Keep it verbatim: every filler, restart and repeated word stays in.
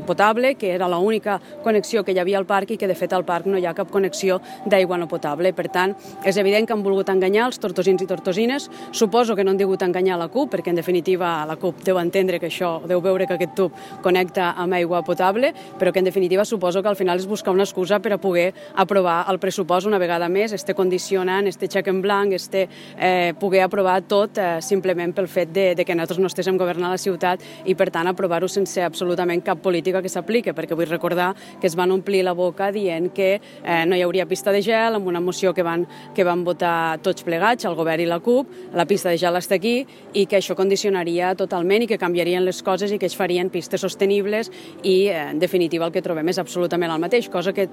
potable, que era l'única connexió que hi havia al parc i que de fet al parc no hi ha cap connexió d'aigua no potable. Per tant, és evident que han volgut enganyar els tortosins i tortosines. Suposo que no han degut enganyar la CUP, perquè en definitiva la CUP deu entendre que això, deu veure que aquest tub connecta amb aigua potable, però que en definitiva suposo que al final és buscar una excusa per a poder aprovar el pressupost una vegada més, este condicionant, este xec en blanc, este eh, poder aprovar tot eh, simplement pel fet de, de que nosaltres no estéssim governant la ciutat i per tant aprovar-ho sense absolutament cap política que s'apliqui, perquè vull recordar que es van omplir la boca dient que eh, no hi hauria pista de gel amb una moció que van, que van votar tots plegats, el govern i la CUP, la pista de gel està aquí i que això condicionaria totalment i que canviarien les coses i que es farien pistes sostenibles i eh, en definitiva el que trobem és absolutament el mateix, cosa que